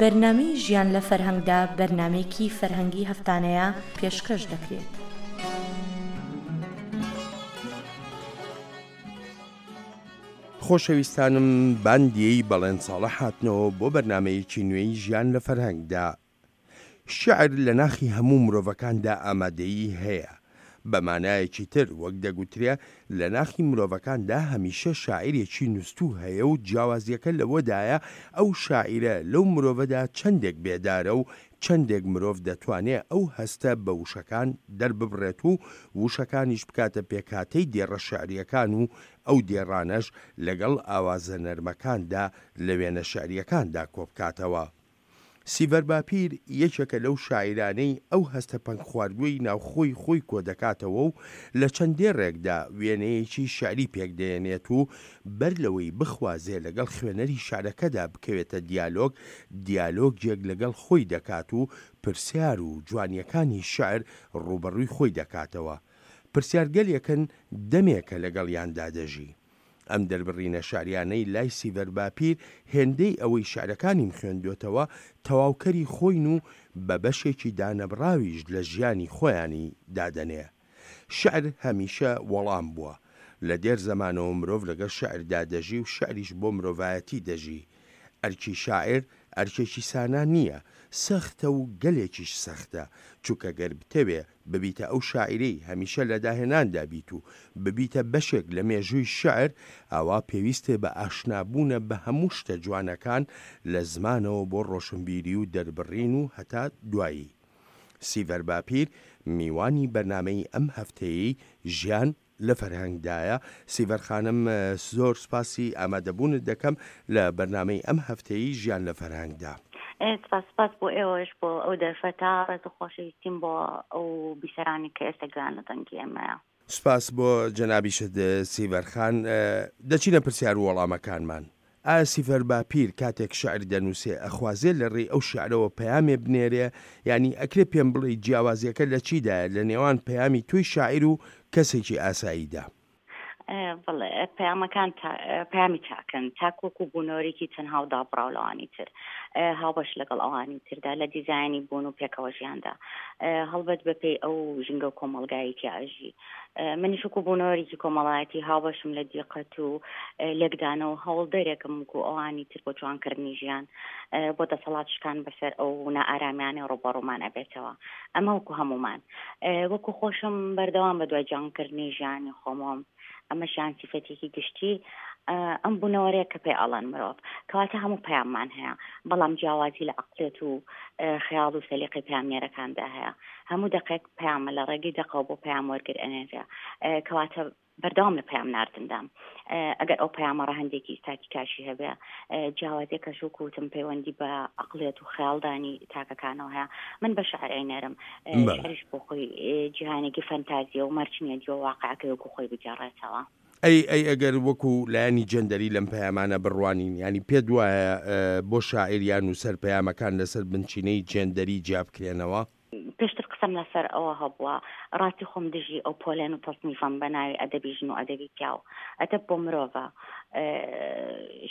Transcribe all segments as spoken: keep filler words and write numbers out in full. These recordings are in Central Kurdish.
بەرنامەی ژیان لە فەرهەنگدا بەرنامەیەکی فەرهەنگی هەفتانەیە پێشکەش دەکرێت. خۆشەویستانم باندیەی بەڵێن ساڵە هاتنەوە بۆ بەرنامەیەکی نوێی ژیان لە فەرهەنگدا. شعر لە ناخی هەموو مرۆڤەکاندا ئامادەیی هەیە. بە مانایەکی تر وەک دەگوترێ لە ناخی مرۆڤەکاندا هەمیشە شاعیرێکی نووسوو هەیە و جیاوازیەکە لەوەدایە ئەو شاعیرە لەو مرۆڤەدا چەندێک بێدارە و چەندێک مرۆڤ دەتوانێ ئەو هەستە بە وشەکان دەرببڕێت و وشەکانیش بکاتە پێکهاتەی دێڕە شعریەکان و ئەو دێڕانەش لەگەڵ ئاوازە نەرمەکاندا لە وێنە شعریەکاندا کۆبکاتەوە. سیڤەر باپیر یەکێکە لەو شاعیرانەی ئەو هەستە پەنگخواردووەی ناوخۆی خۆی کۆدەکاتەوە و لە چەند دێڕێکدا وێنەیەکی شعری پێکدەیەنێت و بەر لەوەی بخوازێ لەگەڵ خوێنەری شعرەکەدا بکەوێتە دیالۆگ، دیالۆگێک لەگەڵ خۆی دەکات و پرسیار و جوانیەکانی شعر ڕووبەڕووی خۆی دەکاتەوە. پرسیارگەلێکن دەمێکە لەگەڵیاندا دەژی. ئەم دەربڕینە شعریانەی لای سیڤەر باپیر هێندەی ئەوەی شعرەکانیم خوێندوێتەوە تەواوکەری خۆین و بە بەشێکی دانەبڕاویش لە ژیانی خۆیانی دادەنێ. شعر هەمیشە وەڵام بووە. لە دێر زەمانەوە مرۆڤ لەگەڵ شعردا دەژی و شعریش بۆ مرۆڤایەتی دەژی. ئەرکی شاعیر ئەرکێکی سانا نییە، سەختە و گەلێکیش سەختە، چونکە گەر بتەوێ ببیتە ئەو شاعیرەی هەمیشە لە داهێناندا بیت و ببیتە بەشێک لە مێژووی شعر، ئاوا پێویستێ بە ئاشنابوونە بە هەموو شتە جوانەکان لە زمانەوە بۆ ڕۆشنبیری و دەربڕین و هەتا دوایی. سیڤەر باپیر میوانی بەرنامەی ئەم هەفتەیەی ژیان لە فەرهەنگدایە. سیڤەر خانم، زۆر سپاسی ئامادەبوونت دەکەم لە بەرنامەی ئەم هەفتەیەی ژیان لە فەرهەنگدا. سپاس سپاس بۆ ئێوەش بۆ ئەو دەرفەتە، ڕێز و خۆشەویستیم بۆ ئەو بیسەرانی کە ئێستا گوێیان لە دەنگی ئێمەیە. سپاس بۆ جەنابیشت سیڤەر خان. دەچینە پرسیار و وەڵامەکانمان. ئایا سیڤەر باپیر کاتێک شعر دەنووسێ ئەخوازێ لە ڕێی ئەو شعرەوە پەیامێ بنێرێ؟ یعنی ئەکرێ پێم بڵێ جیاوازیەکە لە چیدایە لە نێوان پەیامی تۆی شاعیر و کەسێکی ئاساییدا؟ بەڵێ، پەیامەکان پەیامی تاکن، تاک وەکو بوونەوەرێکی تەنها و دابڕاو لەوانی تر، هاوبەش لەگەڵ ئەوانی تردا لە دیزایانی بوون و پێکەوە ژیاندا، هەڵبەت بەپێی ئەو ژینگە و کۆمەڵگایەکی ئاژی. منیش وەکو بوونەوەرێکی کۆمەڵایەتی هاوبەشم لە دیقەت و لێکدانەوە هەوڵدەرێکم وەکو ئەوانی تر بۆ جوانکردنی ژیان، بۆ دەسەڵات شکان بەسەر ئەو نائارامیانەی ڕووبەڕوومان ئەبێتەوە. ئەمە وەکو هەمومان. وەکو خۆشم بەردەوام بە دوای جوانکردنی ژیانی خۆمەوەم. ئەمەشیان سیفەتێکی گشتی ئەم بوونەوەرەیە کە پێی ئەڵێن مرۆڤ، کەواتە هەموو پەیاممان هەیە، بەڵام جیاوازی لە عەقڵێت و خەیاڵ و سەلیقەی پەیامنێرەکاندا هەیە. هەموو دەقێک پەیامە لە ڕێگەی دەقەوە بۆ پەیام وەرگر ئەنێرێ، کەواتە بەردەوام لە پەیام ناردندام. ئەگەر ئەو پەیامە ڕەهەندێکی ئیستاتیکاشی هەبێ، جیاوازیەکەش وەکو وتم پەیوەندی بە عەقڵێت و خەیاڵدانی تاکەکانەوە هەیە. من بە شعر ئەینێرم، شعریش بۆ خۆی جیهانێکی فەنتازیە و مەرج نییە دیوە واقعەکەی وەکو خۆی بگێڕێتەوە. ئەی ئەی ئەگەر وەکو لایەنی جەندەری لەم پەیامانە بڕوانین، ینی پێت وایە بۆ شاعیر یان نووسەر پەیامەکان لەسەر بنچینەی جێندەری جیا بکرێنەوە؟ پێشتر قسەم لەسەر ئەوە هەبووە، ڕاستی خۆم دژی ئەو پۆلێن و تەصنیفەم بە ناوی ئەدەبی ژن و ئەدەبی پیاو. ئەدەب بۆ مرۆڤە،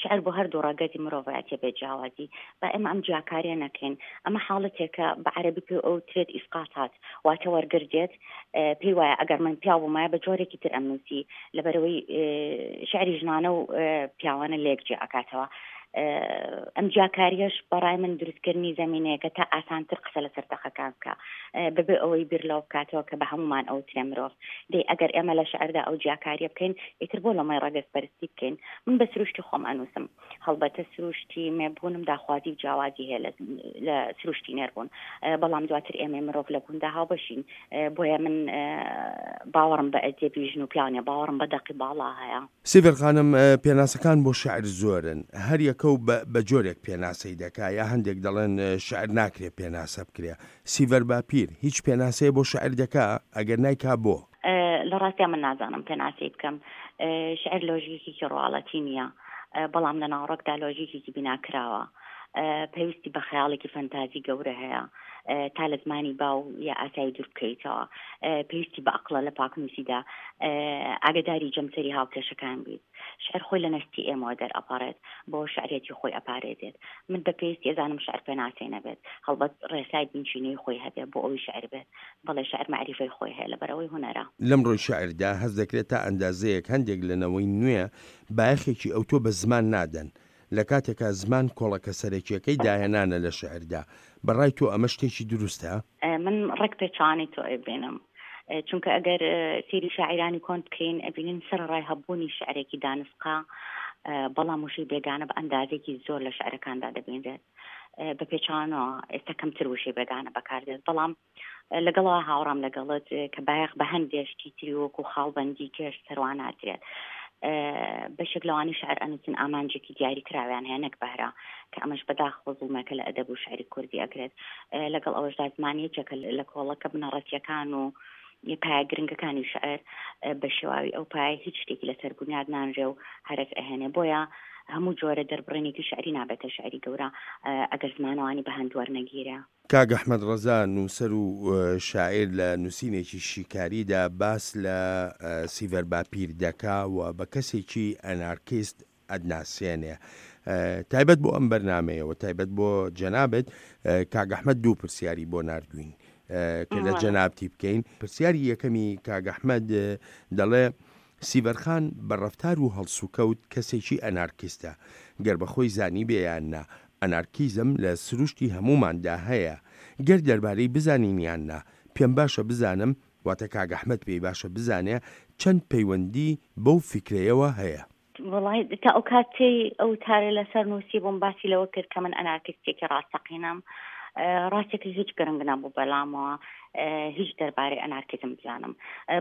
شعر بۆ هەردوو ڕەگەزی مرۆڤایەتیە بێ جیاوازی. با ئێمە ئەم جیاکاریە نەکەین. ئەمە حاڵەتێکە بە عەرەبی پێ ئەو ترێت ئیسقاتات، واتە وەرگرتێت. پێی وایە ئەگەر من پیاو بوومایە بە جۆرێکی تر ئەم نووسی، لەبەرەوەی شعری ژنانە و پیاوانە لێک جیا ئەکاتەوە. ئەم جیاکاریەش بەڕای من دروستکردنی زەمینەیەکە تا ئاسانتر قسە لەسەر دەقەکان بکە، بەبێ ئەوەی بیر لەوە بکاتەوە کە بە هەمومان ئەو ترێ مرۆڤ. دەی ئەگەر ئێمە لە شعردا ئەو جیاکاریە بکەین، ئیتر بۆ لەمەی ڕەگەزپەرستی بکەین. من بە سروشتی خۆم ئەنووسم، هەڵبەتە سروشتی مێبوونم داخوازی و جیاوازی هەیە لە سروشتی نێربوون، بەڵام دواتر ئێمەی مرۆڤ لە بووندا هاوبەشین. بۆیە من باوەڕم بە ئەدەبی ژن و پیاو نییە، باوەڕم بە دەقی باڵا هەیە. سیڤەر خانم، پێناسەکان بۆ شعر زۆرن، هەر یەکە و بە جۆرێک پێناسەی دەکا، یا هەندێک دەڵێن شعر ناکرێ پێناسە بکرێ. سیڤەر باپیر هیچ پێناسەیە بۆ شعر دەکا؟ ئەگەر نایکا بۆ؟ لە ڕاستیا من نازانم پێناسەی بکەم. شعر لۆژیکێکی ڕواڵەتی نییە، بەڵام لە ناوەڕۆکدا لۆژیکێکی بیناکراوە. پێویستی بە خەیاڵێکی فەنتازی گەورە هەیە تا لە زمانی باو یا ئاسایی دوور بکەیتەوە، پێویستی بە ئەقڵە لە پاکنووسیدا ئاگداری جەمسەری هاوکێشەکان بیت. شعر خۆی لە نەستی ئێمەوە دەرئەپەڕێت، بۆ شعرێتی خۆی ئەپارێزێت. من بە پێویستی ئەزانم شعر پێناسەی نەبێت، هەڵبەت ڕێسای بنچینەی خۆی هەبێت بۆ ئەوەی شعر بێت. بەڵێ شعر مەعریفەی خۆی هەیە لەبەرئەوەی هونەرە. لەم ڕووی شعردا هەست دەکرێت تا ئەندازەیەک هەندێک لە نەوەی نوێ بایەخێکی ئەوتۆ بە زمان نادەن، لە کاتێکا زمان کۆڵەکە سەرەکییەکەی داهێنانە لە شعردا. بە ڕای تۆ ئەمە شتێکی دروستە؟ من ڕێک پێچەوانەی تۆ ئەبینم، چونکە ئەگەر سەیری شاعیرانی کۆن بکەین ئەبینین سەرەڕای هەبوونی شعرێکی دانسقا، بەڵام وشەی بێگانە بە ئەندازێکی زۆر لە شعرەکاندا دەبینرێت. بە پێچوانەوە ئێستا کەمتر وشەی بێگانە بەکاردێت، بەڵام لەگەڵەوە هاوڕام لەگەڵت کە بایەخ بە هەندێک شتی تری وەکو خاڵبەندی کێش سەروان نادرێت. بەشێک لەوانەی شعر ئەنووسن ئامانجێکی دیاری کراویان هەیە نەک بەهرە، کە ئەمەش بەداخەوە زوڵمێکە لە ئەدەب و شعری کوردی ئەکرێت. لەگەڵ ئەوەشدا زمان یەکێکە لە کۆڵەکە بنەڕەتیەکان و پایە گرنگەکانی شعر، بە شێواوی ئەو پایە هیچ شتێکی لەسەر بونیاد نانرێ و هەرەس ئەهێنێ. بۆیە هەموو جۆرە دەربڕینێکی شعری نابێتە شعری گەورە ئەگەر زمانەوانی بە هەند وەرنەگیرێ. کاک ئەحمەد ڕەزا نووسەر و شاعیر لە نووسینێکی شیکاریدا باس لە سیڤەر باپیر دەکا و بە کەسێکی ئەنارکیست ئەدناسێنێ. تایبەت بۆ ئەم بەرنمەیەوە، تایبەت بۆ جەنابت، کاک ئەحمەد دوو پرسیاری بۆ ناردوین کە لە جەنابتی بکەین. پرسیاری یەکەمی کاک ئەحمەد دەڵێ سیڤەرخان بە ڕەفتار و هەڵسوکەوت کەسێکی ئەنارکیستە، گەر بە خۆی زانی بێ یان نا، ئەنارکیزم لە سروشتی هەمووماندا هەیە، گەر دەربارەی بزانین یان نا، پێم باشە بزانم، واتە کاک ئەحمەد پێی باشە بزانێ چەند پەیوەندی بەو فیکرەیەوە هەیە. وەڵای تا ئەو کاتەی ئەو تارە لەسەر نووسی بووم باسی لەوە کرد کە من ئەنارکیستێکی ڕاستەقینەم، ڕاستێکی هیچ گرنگ نەبوو بەلامەوە هیچ دەربارەی ئەنارکیزم بزانم،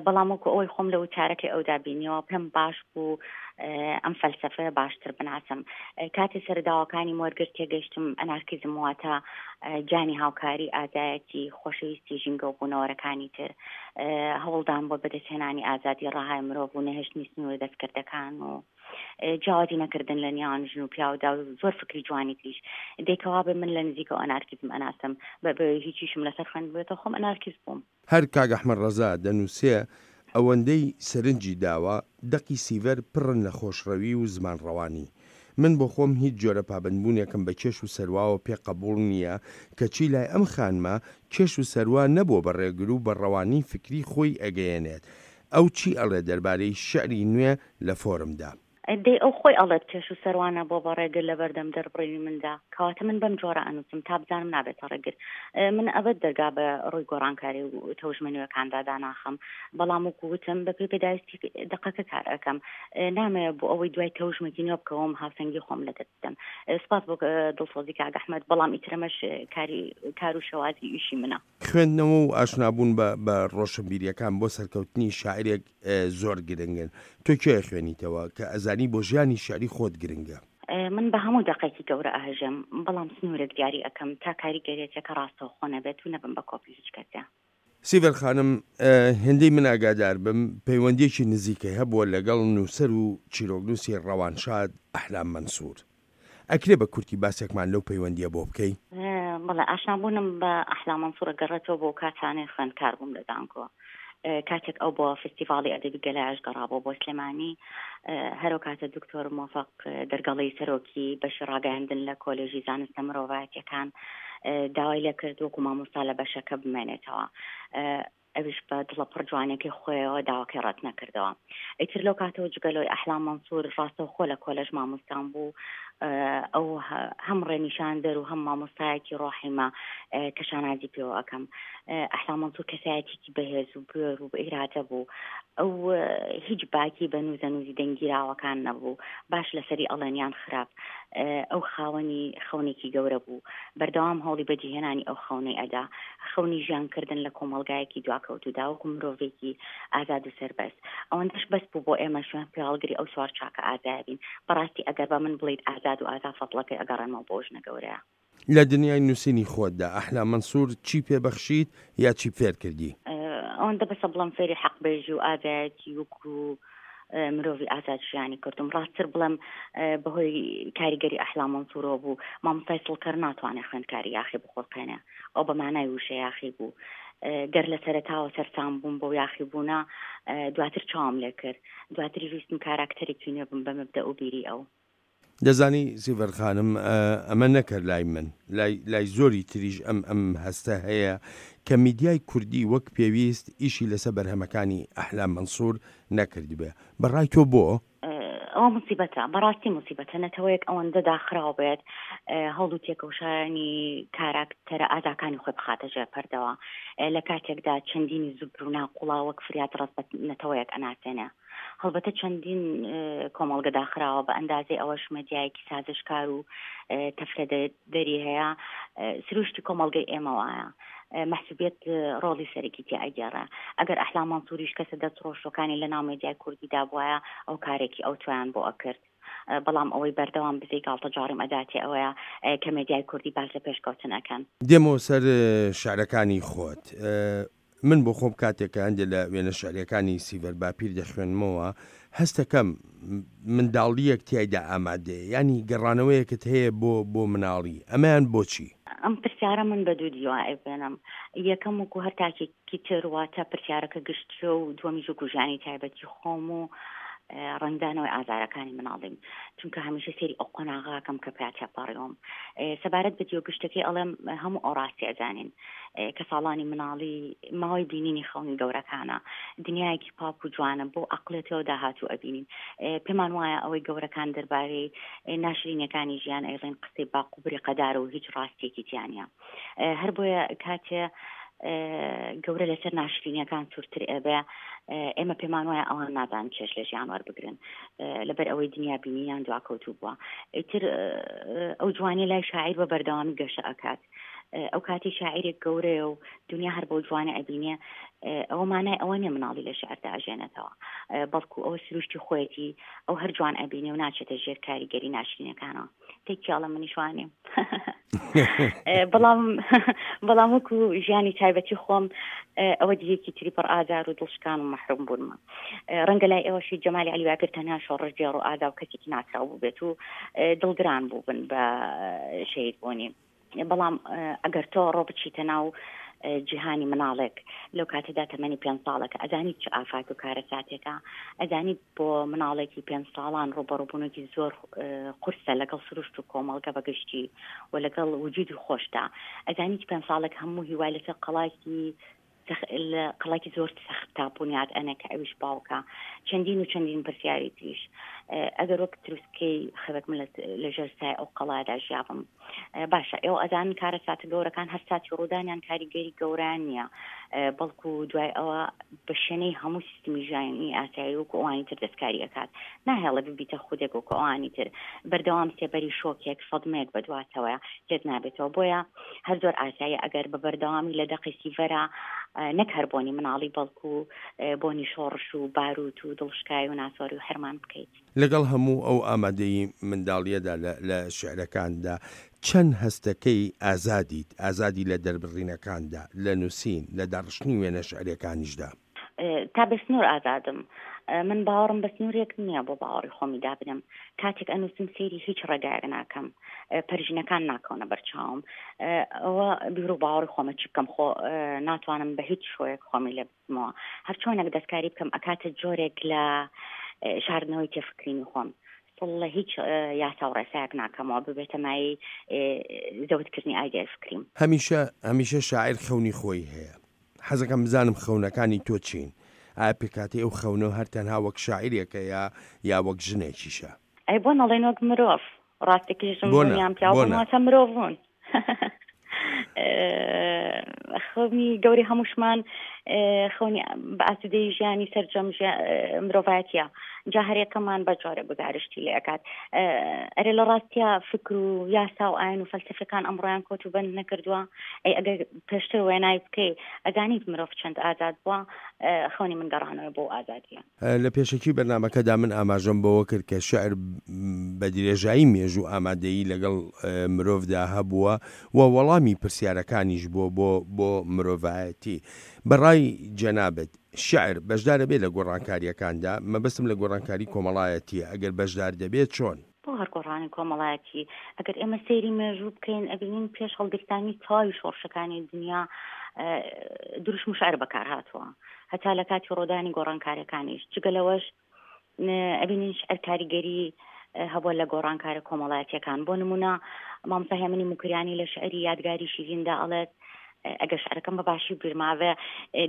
بەڵام وەکو ئەوەی خۆم لە وتارەکەی ئەودا بینیەوە پێم باش بوو ئەم فەلسەفەیە باشتر بناسم. کاتێ سەرداوەکانی وەرگرت تێگەیشتم ئەنارکیزم واتە گیانی هاوکاری، ئازایەتی، خۆشەویستی ژینگە و بوونەوەرەکانی تر، هەوڵدان بۆ بەدەستهێنانی ئازادی ڕەهای مرۆڤ و نەهێشتنی سنوورە دەستکردەکان و جیاوازی نەکردن لە نێوان ژن و پیاودا و زۆر فکری جوانی تریش. دەیکەوا بێ من لە نزیکەوە ئەنارکیزم ئەناسم، بە هیچیشم لەسەر خوێندبێتەوە خۆم ئەنارکیست بووم. هەر کاک ئەحمەد ڕەزا دەنووسێ ئەوەندەی سەرنجی داوە دەقی سیڤەر پڕن لە خۆشڕەوی و زمانڕەوانی. من بۆ خۆم هیچ جۆرە پابەندبوونێکم بە کێش و سەرواوە پێ قەبوڵ نییە، کەچی لای ئەم خانمە کێش و سەروا نەبووە بە ڕێگر و بە ڕەوانی فکری خۆی ئەگەیەنێت. ئەو چی ئەڵێ دەربارەی شعری نوێ لە فۆرمدا؟ دەی ئەو خۆی ئەڵێت کێش و سەروانە بۆ بە ڕێگر لە بەردەم دەربڕینی مندا، کەواتە من بەم جۆرە ئەنووسم تا بزانم نابێتە ڕێگر. من ئەبەد دەرگا بە ڕووی گۆڕانکاری و تەوژمە نوێەکاندا داناخەم، بەڵام وەکو وتم بە پێی پێداویستی دەقەکە کار ئەکەم. نامەوێت بۆ ئەوەی دوای تەوژمێکی نوێ بکەوم هاوسەنگی خۆم لەدەست بدەم. سپاس بۆ دڵسۆزی کاک ئەحمەد، بەڵام ئیترەمەش کاری کار و شێوازی ئیشی منە. خوێندنەوە و ئاشنابوون بە ڕۆشنبیریەکان بۆ سەرکەوتنی شاعرێک زۆر گرنگن. تۆ کێ خوێنیتەوە کە ئەزانی بۆ ژیانی شعری خۆت گرنگە؟ من بە هەموو دەقێکی گەورە ئەهژم، بەڵام سنوورێک دیاری ئەەکەم تا کاریگەریەتەکە ڕاستەوخۆ نەبێت و نەبم بە کۆپی هیچ کەسێ. سیڤەر خانم، هێندەی من ئاگادار بم پەیوەندیەکی نزیکەی هەبووە لەگەڵ نووسەر و چیرۆکنووسی ڕەوانشاد ئەحلام مەنسوور. ئەکرێ بە کورتی باسێکمان لەو پەیوەندیە بۆ بکەی؟ بەڵێ، ئاشنابوونم بە ئەحلام مەنسوورە گەڕێتەوە بۆ کاتانەی خوێندکار بووم لە زانکۆ. کاتێک ئەو بۆ فستیڤاڵی ئەدەبی گەلایش گەڕابوو بۆ سلێمانی، هەرو کاتە دکتۆر مۆفەق دەرگەڵی سەرۆکی بەشی ڕاگەیاندن لە کۆلێژی زانستە مرۆڤایەتیەکان داوای لێکرد وەکو مامۆستا لە بەشەکە بمێنێتەوە. ئەویش بە دڵە پڕ جوانەکەی خۆیەوە داواکەی ڕەت نەکردەوە. ئیتر لەو کاتەوە جگەلۆی ئەحلام مەنسوور ڕاستەوخۆ لە کۆلێژ مامۆستان بوو. ئەو هەم ڕێنیشاندەر و هەم مامۆستایەکی ڕۆحیمە کە شانازی پێوە ئەەکەم. ئەحلام مەنسوور کەسایەتێکی بەهێز و بوێر و ئیرادە بوو. ئەو هیچ باکی بە نووزەنووزی دەنگیراوەکان نەبوو، باش لەسەری ئەڵێنیان خراپ. ئەو خاوەنی خەونێکی گەورە بوو، بەردەوام هەوڵی بەجیهێنانی ئەو خەونەی ئەدا، خەونی ژیانکردن لە کۆمەڵگایەکی دواکەوتودا وەکو مرۆڤێکی ئازاد و سەربەست. ئەوەندەش بەس بوو بۆ ئێمە شوێن پێهەڵگری ئەو سوار چاکە ئازایە بین. بەڕاستی ئەگەر بە من بڵیت ئازاد و ئازا فەضڵەکەی ئەگەڕێنمەوە بۆ ژنە گەورەیە. لە دنیای نووسینی خۆتدا ئەحلام مەنسوور چی پێبەخشیت یا چی فێر کردی؟ ئەوەندە بەسە بڵم فێری حەق بێژی و ئازایەتی وەکو مرۆڤی ئازاد ژیانی کردم. ڕاستتر بڵێم بەهۆی کاریگەری ئەحلام مەنسوورەوە بوو. مامۆستای سڵکەر ناتوانێت خوێندکاری یاخی بخوڵقێنێ، ئەو بە مانای وشە یاخی بوو. گەر لە سەرەتاوە سەرسام بووم بۆ یاخی بوونە، دواتر چاوم لێ کرد، دواتریش ویستم کاراکتەرێکی نوێ بم بە مەبدەء و بیری ئەو. دەزانی سیڤەر خانم، ئەمە نەکەر لای من، لای لای زۆری تریش ئەم ئەم هەستە هەیە کە میدیای کوردی وەک پێویست ئیشی لەسەر بەرهەمەکانی ئەحلام مەنسوور نەکردبێ. بە ڕای تۆ بۆ؟ ئەوە موسیبەتە، بەڕاستی موسیبەتە نەتەوەیەک ئەوەندە داخراو بێت هەوڵ و تێکۆشانی کاراکتەرە ئازاکانی خۆی بخاتە ژێر پەردەوە، لە کاتێکدا چەندینی زوبر و ناقوڵا وەک فریاد ڕەس بە نەتەوەیەک ئەناسێنێ. هەڵبەتە چەندین کۆمەڵگە داخراوە بە ئەندازەی ئەوەش مەدیایەکی سازشکار و تەفرە دەری هەیە. سروشتی کۆمەڵگەی ئێمە وایە، مەحسوبیەت ڕۆڵی سەرەکی تیا ئەگێڕێ. ئەگەر ئەحلام مەنسووریش کەسە دەست ڕۆشتوەکانی لە ناو مێدیای کوردیدا بوایە ئەو کارێکی ئەو تویان بۆ ئەکرد، بەڵام ئەوەی بەردەوام بزەی گاڵتەجاڕیم ئەداتێ ئەوەیە کە مێدیای کوردی باس لە پێشکەوتن ئەکەن. دێمەوە سەر شعرەکانی خۆت. من بۆ خۆم کاتێک کە هەندێک لە وێنە شعریەکانی سیڤەر باپیر دەخوێنمەوە هەستەکەم منداڵیەک تیایدا ئامادەیە، یانی گەڕانەوەیەکت هەیە بۆ بۆ مناڵی، ئەمەیان بۆچی؟ ئەم پرسیارە من بە دوو دیوە ئەیبێنم. یەکەم وەکو هەر تاکێکی تر، واتە پرسیارەکە گشتیە و دووەمیش وەکو ژیانی تایبەتی خۆم و ڕەنگدانەوەی ئازارەکانی مناڵیم، چونکە هەمیشە سەیری ئەو قۆناغاکەم کە پیا تێپەڕیوم. سەبارەت بە دیوە گشتەکەی ئەڵێم هەموو ئەو ڕاستی ئەزانین کە ساڵانی مناڵی ماوەی بینینی خەونی گەورەکانە، دنیایەکی پاک و جوانە بۆ عەقڵێتەوە داهاتوو ئەبینین. پێمان وایە ئەوەی گەورەکان دەربارەی ناشرینەکانی ژیان ئەیڵێن قسەی باق و بریقەدارە و هیچ ڕاستیەکی تیا نییە. هەر بۆیە کاتێ گەورە لەسەر ناشرینیەکان سوورتر ئەبێ، ئێمە پێمان وایە ئەوان نازان چێژ لە ژیان وەربگرن لەبەر ئەوەی دنیا بینیان دواکەوتوو بووە. ئیتر ئەو جوانی لای شاعیر بە بەردەوامی گەشە ئەکات. ئەو کاتی شاعیرێک گەورەیە و دنیا هەر بەو جوانە ئەبینێ، ئەوە مانای ئەوە نییە مناڵی لە شعردا ئەژێنێتەوە، بەڵکو ئەوە سروشتی خۆیەتی، ئەو هەر جوان ئەبینێ و ناچێتە ژێر کاریگەری ناشرینەکانەوە. تێکیاڵە منیش وانیم. بەڵام بەڵام وەکو ژیانی تایبەتی خۆم ئەوە دیەکی تری پڕ ئازار و دڵشکان و مەحروم بوونمە. ڕەنگە لای ئێوەشی جەمالی عەلی باپیر تەنها شۆڕشگێڕ و ئازا و کەسێکی ناسراو بوو بێت و دڵگران بوو بن بە شەهید بوونی. بەڵام ئەگەر تۆ ڕۆ بچیتە ناو جیهانی مناڵێک لەو کاتەدا تەمەنی پێنج ساڵەکە، ئەزانیت چ ئافات و کارەساتێکە، ئەزانیت بۆ مناڵێکی پێنج ساڵان ڕووبەڕووبوونێکی زۆر قورسە لەگەڵ سروشت و کۆمەڵگە بەگشتی و لەگەڵ وجودی خۆشدا. ئەزانیت پێنج ساڵێک هەموو هیوای لەسەر قەڵایەکی قەڵایەکی زۆر سەخت تا بونیاد ئەنێ کە ئەویش باوکە. چەندین و چەندین پرسیاری تریش. ئەگەر وەک تروسکەی خەوێک من لەژێر سای ئەو قەڵایەدا ژیابم، باشە ئێوە ئەزانن کارەساتە گەورەکان هەر ساتی ڕوودانیان کاریگەری گەورەیان نییە، بەڵکو دوای ئەوە بە شوێنەی هەموو سیستمی ژیانی ئاسایی وەکو ئەوانی تر دەستکاری ئەکات، ناهێڵێ ببیتە خودێک وەکو ئەوانی تر، بەردەوام سێبەری شۆکێک سەدمەیەک بەدواتەوەیە لێت نابێتەوە. بۆیە هەر زۆر ئاسایی ئەگەر بە بەردەوامی لە دەقی سیڤەرا نەک هەر بۆنی مناڵی بەڵکو بۆنی شۆڕش و باروت و دڵشکای و ناسۆری و حرمان بکەیت. لەگەڵ هەموو ئەو ئامادەی منداڵیەدا لە شعرەکاندا چەند هەستەکەی ئازادیت، ئازادی لە دەربڕینەکاندا، لە نووسین، لە داڕشتنی وێنە شعریەکانیشدا؟ تا بە سنوور ئازادم. من باوەڕم بە سنوورێک نییە بۆ باوەڕی خۆمی دابنم. کاتێک ئەنووسم سەیری هیچ ڕێگایەک ناکەم، پەرژینەکان ناکەونە بەرچاوم، ئەوە بیر و باوەڕی خۆمە چی بکەم، خۆ ناتوانم بە هیچ شۆیەک خۆمی لێ بچمەوە. هەر چۆنێک دەستکاری بکەم ئەکاتە جۆرێک لە شاردنەوەی تێفکرینی خۆم. سڵ لە هیچ یاسا و ڕێسایەک ناکەمەوە ببێتە مایەی زەوتکردنی ئایدیای فکریم. هەمیشە هەمیشە شاعیر خەونی خۆی هەیە. حەزەکەم بزانم خەونەکانی تۆ چین؟ ئایا پێکهاتەی ئەو خەونە هەر تەنها وەک شاعیرێکە یا یا وەک ژنێکیشە؟ ئەی بۆ نەڵێن وەک مرۆڤ؟ ڕاستێکی ژن بوون یان پیاو بوون واتە مرۆڤ بوون. خەونی گەورەی هەمووشمان خەونی بە ئاسوودەی ژیانی سەرجەم مرۆڤایەتیە، جا هەرێکەمان بە جۆرە گوزارشتی لێ ئەکات. ئەرێ لە ڕاستیا فکر و یاسا و ئاین و فەلسەفەکان ئەمڕۆیان کۆت و بەند نەکردووە؟ ئەی ئەگەر پێشتر وێنای بکەی ئەزانیت مرۆڤ چەند ئازاد بووە؟ خەونی من گەڕانەوە بۆ ئازادیە. لە پێشەکی بەرنامەکەدا من ئاماژەم بەوە کرد کە شعر بە درێژایی مێژوو ئامادەیی لەگەڵ مرۆڤدا هەبووە و وەڵامی پرسیارەکانیش بووە بۆ بۆ مرۆڤایەتی. بەڕای ڕای جەنابت شیعر بەشدارە بێ لە گۆڕانکارییەکاندا؟ مەبەستم لە گۆڕانکاری کۆمەڵایەتییە، ئەگەر بەشدار دەبێت چۆن؟ بۆ هەر گۆڕانی کۆمەڵایەتی ئەگەر ئێمە سەیری مێژوو بکەین ئەبینین پێش هەڵگرتانی تەواوی شۆڕشەکانی دنیا دروشم و شعر بەکار هاتووە هەتا لە کاتی ڕۆدانی گۆڕانکاریەکانیش. جگە لەوەش ئەبینین شعر کاریگەری هەبووە لە گۆڕانکارە کۆمەڵایەتیەکان. بۆ نمونە مامۆستا هێمنی موکریانی لە شعری یادگاری شیریندا ئەڵێت ئەگەر شعرەکەم بە باشی بیرماوێ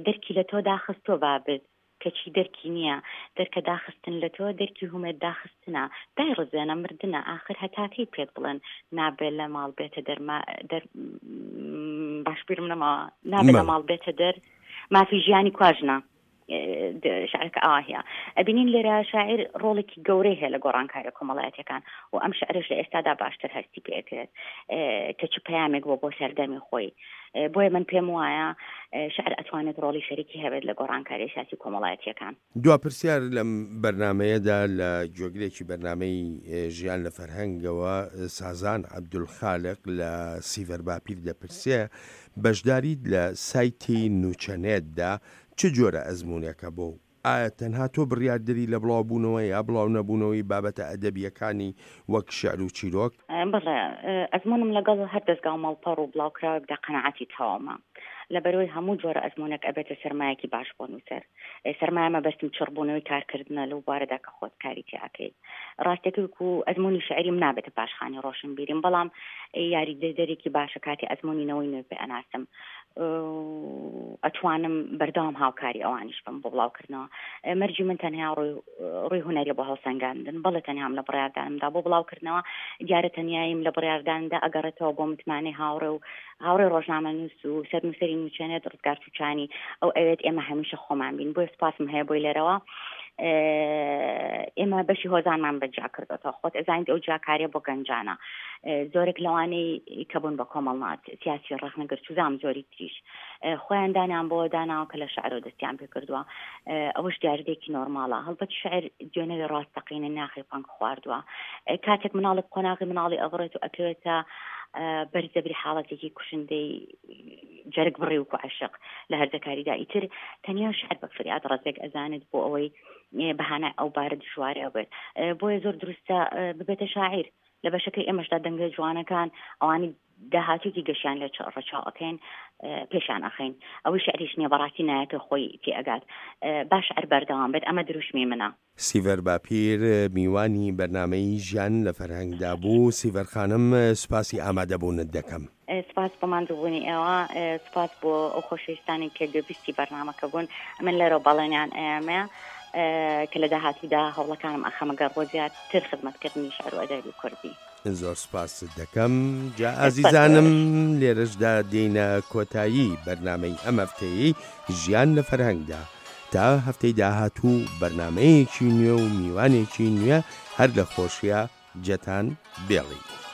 دەرکی لە تۆ داخستۆ بابت کەچی دەرکی نییە، دەرکە داخستن لە تۆ دەرکی هومێد داخستنە، دایڕزێنە مردنە، ئاخر هەتاکەی پێت بڵێن نابێ لە ماڵ بێتە دەر، دەر باش بیرم نەماوە، نابێ لە ماڵ بێتە دەر، مافی ژیانی کواژنە. شعرەکە ئاوا هەیە. ئەبینین لێرە شاعیر ڕۆڵێکی گەورەی هەیە لە گۆڕانکاریە کۆمەڵایەتیەکان و ئەم شعرش لە ئێستادا باشتر هەستی پێکرێت کە چ پەیامێک بۆ بۆ سەردەمی خۆی. بۆیە من پێم وایە شعر ئەتوانێت ڕۆڵی شەریکی هەبێت لە گۆڕانکاری سیاسی کۆمەڵایەتیەکان. دوا پرسیار لەم بەرنمەیەدا لە گوێگرێکی بەرنمەی ژیان لە فەرهەنگەوە سازان عەبدولخالق لە سیڤەر باپیر دەپرسێ بەشداریت لە سایتی نوچەنێتدا چ جۆرە ئەزمونێکە بۆ؟ ئایا تەنها تۆ بڕیاردەری لە بڵاوبوونەوە یا بڵاو نەبوونەوەی بابەتە ئەدەبیەکانی وەک شعر و چیرۆک؟ بەڵێ، ئەزمونم لەگەڵ هەر دەستگا و ماڵپەڕ و بڵاوکراوێکدا قەناعەتی تەواومە. لەبەرەوەی هەموو جۆرە ئەزمونێک ئەبێتە سەرمایەکی باش بۆ نووسەر. سەرمایە مەبەستم چڕبوونەوەی کارکردنە لەو بوارەدا کە خۆت کاری تیاکەی. ڕاستەکەی و ئەزمونی شعریم نابێتە پاشخانی ڕۆشنبیریم، بەڵام یاریدەدەرێکی باشە کاتی ئەزمونی نەوەی نوێ پێ ئەناسم، ئەتوانم بەردەوام هاوکاری ئەوانیش بم بۆ بڵاوکردنەوە. مەرجی من تەنها ڕووی هونەریە بۆ هەڵسەنگاندن، بەڵێ تەنهام لە بڕیاردانمدا بۆ بڵاوکردنەوە، دیارە تەنیاییم لە بڕیارداندا ئەگەڕێتەوە بۆ متمانەی هاوڕێ و هاوڕێ ڕۆژنامەنووس و سەرنووسەری نوچەنێت ڕزگار چوچانی، ئەو ئەوێت ئێمە هەمیشە خۆمان بین. بۆیە سوپاسم هەیە بۆی لێرەوە. ئێمە بەشی هۆزانمان بەجیا کردوەوە، خۆت ئەزانیت ئەو جیاکاریە بۆ گەنجانە، زۆرێک لەوانەی کە بوون بە کۆمەڵنات سیاسی ڕەخنەگر چوزام زۆری تریش خۆیان دانیان بۆ داناوە کە لە شعرەوە دەستیان پێ کردووە. ئەوەش دیاردەیەکی نۆرماڵە. هەڵبەت شعر دوێنەوی ڕاستەقینە ناخی پەنگ خواردووە. کاتێک مناڵێک قۆناغی مناڵی ئەبڕێت و ئەکەوێتە بەرزەبری حاڵەتێکی کوشندەی جەرگ بڕی و عەشق لە هەرزەکاریدا، ئیتر تەنیا شعر بە فریاد ڕەزێک ئەزانێت بۆ ئەوەی بەهانای ئەو بارە دژوارە بێت. بۆیە زۆر دروستە ببێتە شاعیر. لە بەشەکەی ئێمەشدا دەنگە جوانەکان ئەوانی داهاتوویەکی گەشیان لێ ڕەچاو ئەکەین، پێشان ئەخەین. ئەوەی شعریش نییە بەڕاستی نایەکە خۆی تێئەگات. با شعر بەردەوام بێت، ئەمە دروشمی منە. سیڤەر باپیر میوانی بەرنامەی ژیان لە فەرهەنگدا بوو. سیڤەر خانم سوپاسی ئامادەبوونت دەکەم. سپاس بۆ ماندووبوونی ئێوە، سپاس بۆ ئەو خۆشەویستانی کە گوێبیستی بەرنامەکە بوون. من لێرەوە بەڵێنیان ئەیامێ کە لە داهاتوودا هەوڵەکانم ئەخەمە گەڕ بۆ زیاتر خزمەتکردنی شعر و ئەدەبی کوردی. زۆر سپاست دەکەم. جا ئازیزانم لێرەشدا دێینە کۆتایی بەرنامەی ئەم هەفتەیەی ژیان لە فەرهەنگدا. تا هەفتەی داهاتوو بەرنامەیەکی نوێ و میوانێکی نوێ هەر لە خۆشیە جێتان بێڵین.